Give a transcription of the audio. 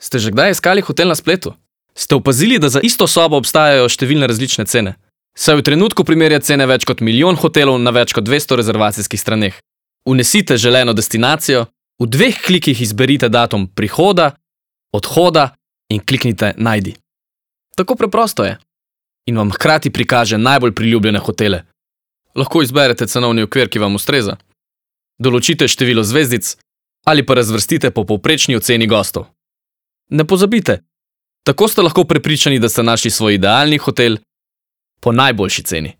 Ste že kdaj iskali hotel na spletu? Ste opazili, da za isto sobo obstajajo številne različne cene? Saj v trenutku primerja cene več kot 1 milijon hotelov na več kot 200 rezervacijskih straneh. Vnesite želeno destinacijo, v 2 klikih izberite datum prihoda, odhoda in kliknite Najdi. Tako preprosto je. In vam hkrati prikaže najbolj priljubljene hotele. Lahko izberete cenovni okvir, ki vam ustreza. Določite število zvezdic ali pa razvrstite po povprečni oceni gostov. Ne pozabite, tako ste lahko prepričani, da ste našli svoj idealni hotel po najboljši ceni.